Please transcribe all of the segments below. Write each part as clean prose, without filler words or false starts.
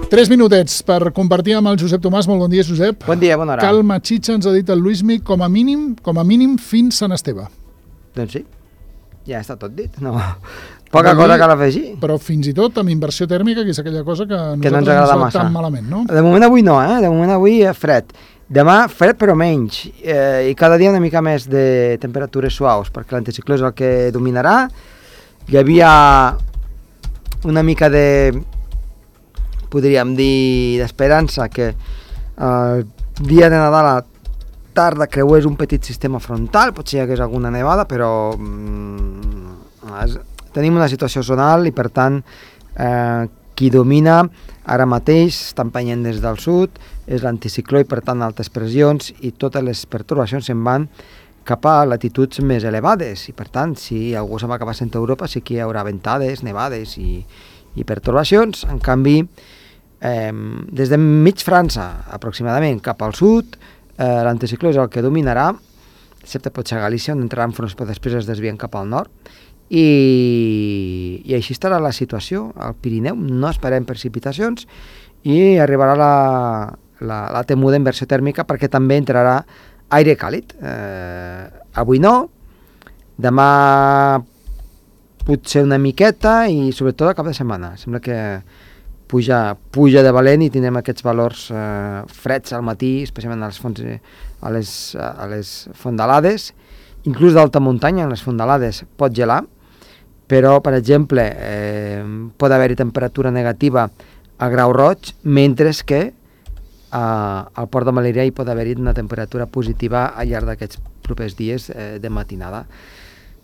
3 minutets per compartir amb el Josep Tomàs. Molt bon dia, Josep. Bon dia, bona hora. Calma Xitxa ens ha dit el Luismi, com a mínim fins Sant Esteve. Doncs sí, ja està tot dit. No. Poca cosa cal afegir. Però fins i tot amb inversió tèrmica, que és aquella cosa que no ens agrada massa. Tan malament, no? De moment avui no, De moment avui fred. Demà fred però menys, i cada dia una mica més de temperatures suaus, perquè l'anticicló és el que dominarà. Hi havia una mica de, podríem dir, d'esperança que el dia de Nadal a la tarda creués un petit sistema frontal, potser hi hagués alguna nevada, però tenim una situació zonal i per tant qui domina ara mateix està empenyent des del sud, és l'anticicló i per tant altes pressions i totes les pertorbacions se'n van cap a latituds més elevades i per tant si algú se'n va cap a centre Europa sí que hi haurà ventades, nevades i pertorbacions. En canvi des de mig França aproximadament cap al sud l'anticicló és el que dominarà, excepte potser a Galícia on entraran fronts però després es desvien cap al nord i així estarà la situació. Al Pirineu no esperem precipitacions i arribarà la temuda inversió tèrmica perquè també entrarà aire càlid. Avui no, demà potser una miqueta i sobretot a cap de setmana. Sembla que puja de valent i tindrem aquests valors freds al matí, especialment a les fondalades. Inclús d'alta muntanya, en les fondalades, pot gelar, però, per exemple, pot haver-hi temperatura negativa a grau roig, mentre que al port de Melilla hi pot haver-hi una temperatura positiva al llarg d'aquests propers dies de matinada.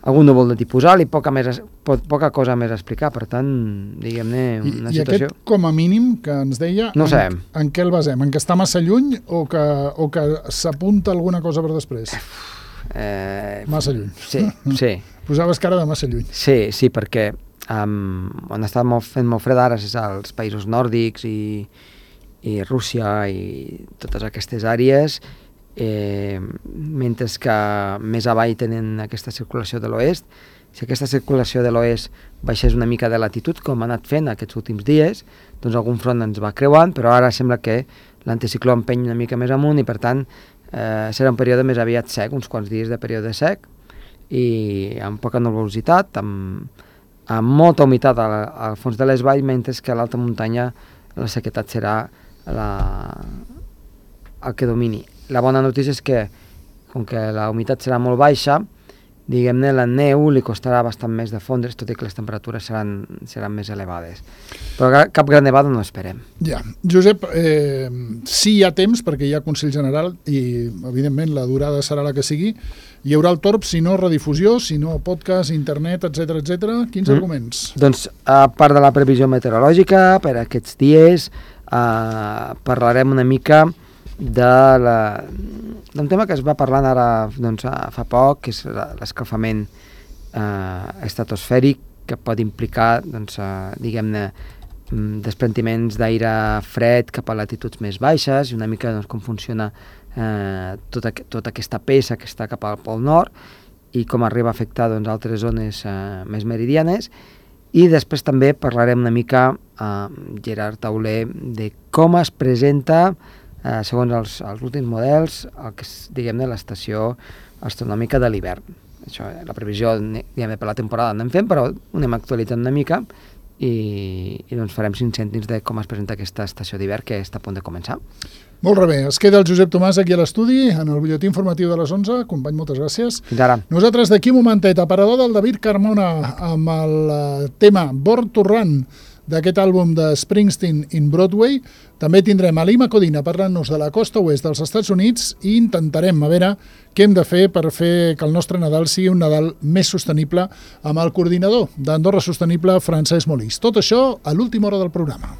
Algun núvol de tipus alt i poca cosa més a explicar, per tant, diguem-ne, una situació... I aquest, com a mínim, que ens deia, no sabem. En què el basem? En què està massa lluny o que s'apunta alguna cosa per després? Massa lluny. Sí. Posaves cara de massa lluny. Sí, perquè on està fent molt fred ara és als països nòrdics i Rússia i totes aquestes àrees, mentre que més avall tenen aquesta circulació de l'oest. Si aquesta circulació de l'oest baixés una mica de latitud, com ha anat fent aquests últims dies, doncs algun front ens va creuant, però ara sembla que l'anticicló empeny una mica més amunt i per tant serà un període més aviat sec, uns quants dies de període sec i amb poca nuvolositat, amb molta humitat al fons de les valls, mentre que a l'alta muntanya la sequedat serà el que domini. La bona notícia és que, com que la humitat serà molt baixa, diguem-ne, la neu li costarà bastant més de fondre's, tot i que les temperatures seran més elevades. Però cap gran nevada no esperem. Ja. Josep, sí hi ha temps, perquè hi ha Consell General i, evidentment, la durada serà la que sigui. Hi haurà el torb, si no redifusió, si no podcast, internet, etc. Quins arguments? Doncs, a part de la previsió meteorològica, per aquests dies parlarem una mica d'un tema que es va parlant ara fa poc, que és l'escalfament estratosfèric, que pot implicar diguem-ne desprentiments d'aire fred cap a latituds més baixes i una mica com funciona tota aquesta peça que està cap al pol nord i com arriba a afectar altres zones més meridianes. I després també parlarem una mica Gerard Tauler de com es presenta segons els últims models, el que és, diguem-ne, l'estació astronòmica de l'hivern. Això, la previsió, diguem-ne, per la temporada anem fent, però ho anem actualitzant una mica i doncs farem 5 cèntims de com es presenta aquesta estació d'hivern que està a punt de començar. Molt bé, es queda el Josep Tomàs aquí a l'estudi, en el butlletí informatiu de les 11. Company, moltes gràcies. Fins ara. Nosaltres d'aquí un momentet, aparador del David Carmona amb el tema Born to Run d'aquest àlbum de Springsteen in Broadway. També tindrem a Lima Codina parlant-nos de la costa oest dels Estats Units i intentarem a veure què hem de fer per fer que el nostre Nadal sigui un Nadal més sostenible amb el coordinador d'Andorra Sostenible, Francesc Molís. Tot això a l'última hora del programa.